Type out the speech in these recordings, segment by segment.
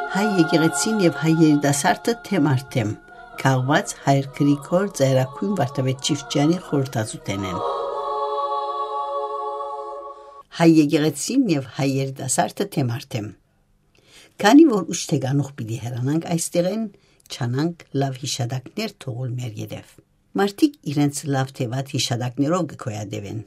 Հայ եկեղեցին եւ հայ երիտասարդը թեմ արդեմ քաղված հայր Գրիգոր Ծայրակույն Վարդապետ Չիֆչյանի խորհրդածուտեն են։ Հայ եկեղեցին եւ հայ երիտասարդը թեմ արդեմ քանի որ ուշտեգանուխ պիտի հեռանանք այստեղեն չանանք լավ հիշադակներ թողול մեր յետև մարդիկ իրենց լավ թեվատ հիշադակներով գկոյադևեն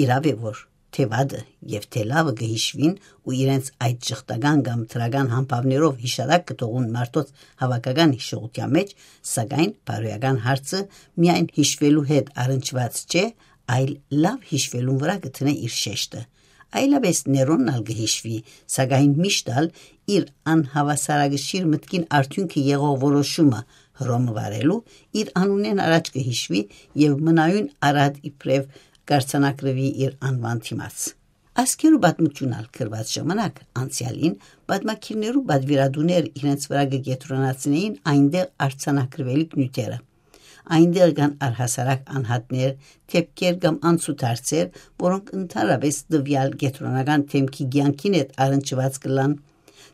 իրավ է որ թեվադը եւ թելավը գհիշվին ու իրենց այդ ճխտական կամ թրական համբավներով հիշադակ կտողուն մարդոց հավաքական հիշողության մեջ սակայն բարոյական հարցը միայն հիշվելու հետ առնչված չէ այլ լավ հիշվելուն վրա գտնե իր շեշտը այլապես ներոնալ գհիշվի սակայն միշտալ իր անհավասարագշիր մտքին արդյունքը եղող որոշումը հռոմը վարելու իր անունեն առաջ կհիշվի եւ մնայուն արad իբրև Կարծանակրվի իր անվան թիմաց։ Ասկերու բադմությունալ կրված ժամանակ անցյալին բադմակիրներու բադվիրադուներ իրենց վրա գետրոնացնեին այնտեղ արցանակրվելիք նյութերը։ Այնտեղ կան առհասարակ անհատներ, թեփքեր կամ անցուդարձեր, որոնք ընդհանրապես դվյալ գետրոնական թեմքի ցանկին հետ առնչված կլան։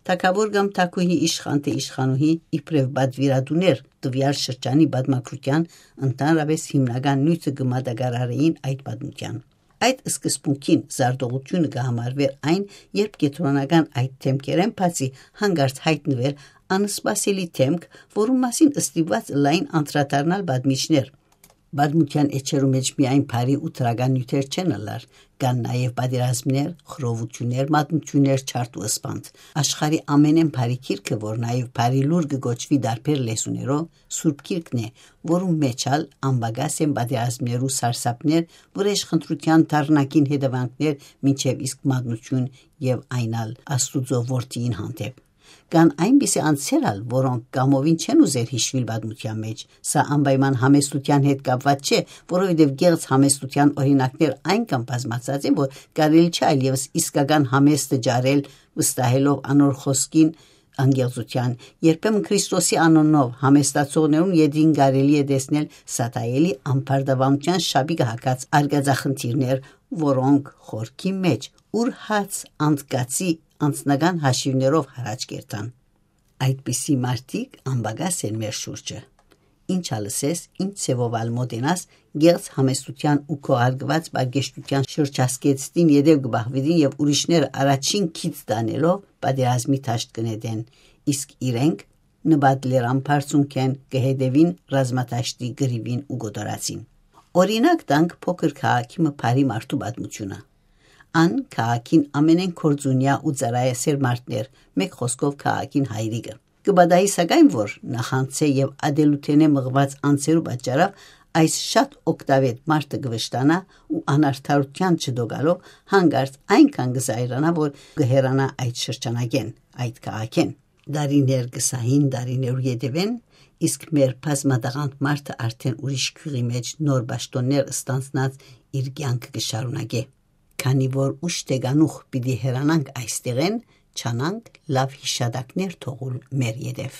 Թակավոր կամ թակուհի իշխան թե իշխանուհի իբրև բադվիրադուներ դվյալ շրջանի բադմակրության ընդհանրապես հիմնական նյութը կմատակարարեին այդ բադմության։ Այդ սկզբունքին զարդողությունը կհամարվեր այն, երբ գետրոնական այդ թեմքերեն բացի հանգարց հայտնվեր անսպասելի թեմք, որում մասին ըստիված լայն անդրադառնալ բադմիչներ։ Բադմության էջերու մեջ միայն բարի ու տրական նյութեր չեն ըլլար, կան նաև պատերազմներ, խռովություններ, մատնություններ, չարտ ու ըսպանդ։ Աշխարհի ամենեն բարի գիրքը, որ նաև բարի լուր կգոչվի դարբեր լեզուներով, Սուրբ Գիրքն է, որում մեջալ անբագաս են պատերազմներու սարսափներ, վրեժխնդրության դառնակին հետևանքներ, մինչև իսկ մատնություն եւ այնալ Աստուծո որդիին հանդեպ։ Կան այնպիսի անձերալ, որոնք կամովին չեն ուզեր հիշվել բադմության մեջ, սա անպայման համեստության հետ կապված չէ, որովհետև գեղձ համեստության օրինակներ այնքան բազմացած են, որ կարելի չէ այլևս իսկական համեստը ջարել, վստահելով անոր խոսքին անգեղծության, երբեմն Քրիստոսի անունով համեստացողներուն յետին կարելի է տեսնել սատայելի անփարդավանության շաբիկը հակած արգածախնդիրներ, որոնք խորքի մեջ ուր հաց անդկացի անձնական հաշիվներով հարաճ կերտան։ Այդպիսի մարդիկ անբագաս են մեր շուրջը։ Ինչ ալսես, ինչ ցևովալ մոտենաս, գեղձ համեստության ու քոհարգված բարգեշտության շրջասկեցտին յետև գբահվին եւ ուրիշները առաջին քիծ դանելով պատերազմի թաշտ կնետեն, իսկ իրենք նբատլերան բարձունքեն կհետևին ռազմատաշտի գրիվին ու գոտորացին։ Օրինակ տանք փոքր քաղաքի մփարի մարդու պատմությունը։ Ան քաղաքին ամենեն կորձունյա ու ծարայասեր մարդներ, մեկ խոսքով քաղաքին հայրիկը։ Կբադայի սակայն որ նախանցե եւ ադելութենե մղված անցերու պատճառով այս շատ օկտավետ մարդը գվշտանա ու անարդարության չդոգալով հանգարց այնքան գզայրանա, որ գհերանա այդ շրջանագեն, այդ քաղաքեն։ Դարիներ գսահին դարիներու յետևեն, իսկ մեր բազմադաղանդ մարդը արդեն ուրիշ քյուղի մեջ նոր պաշտոններ ստանցնած իր կյանքը կշարունակե։ Քանի որ ուշտեգանուխ պիտի հեռանանք այստեղեն, չանանք լավ հիշադակներ թողul մեր յետև։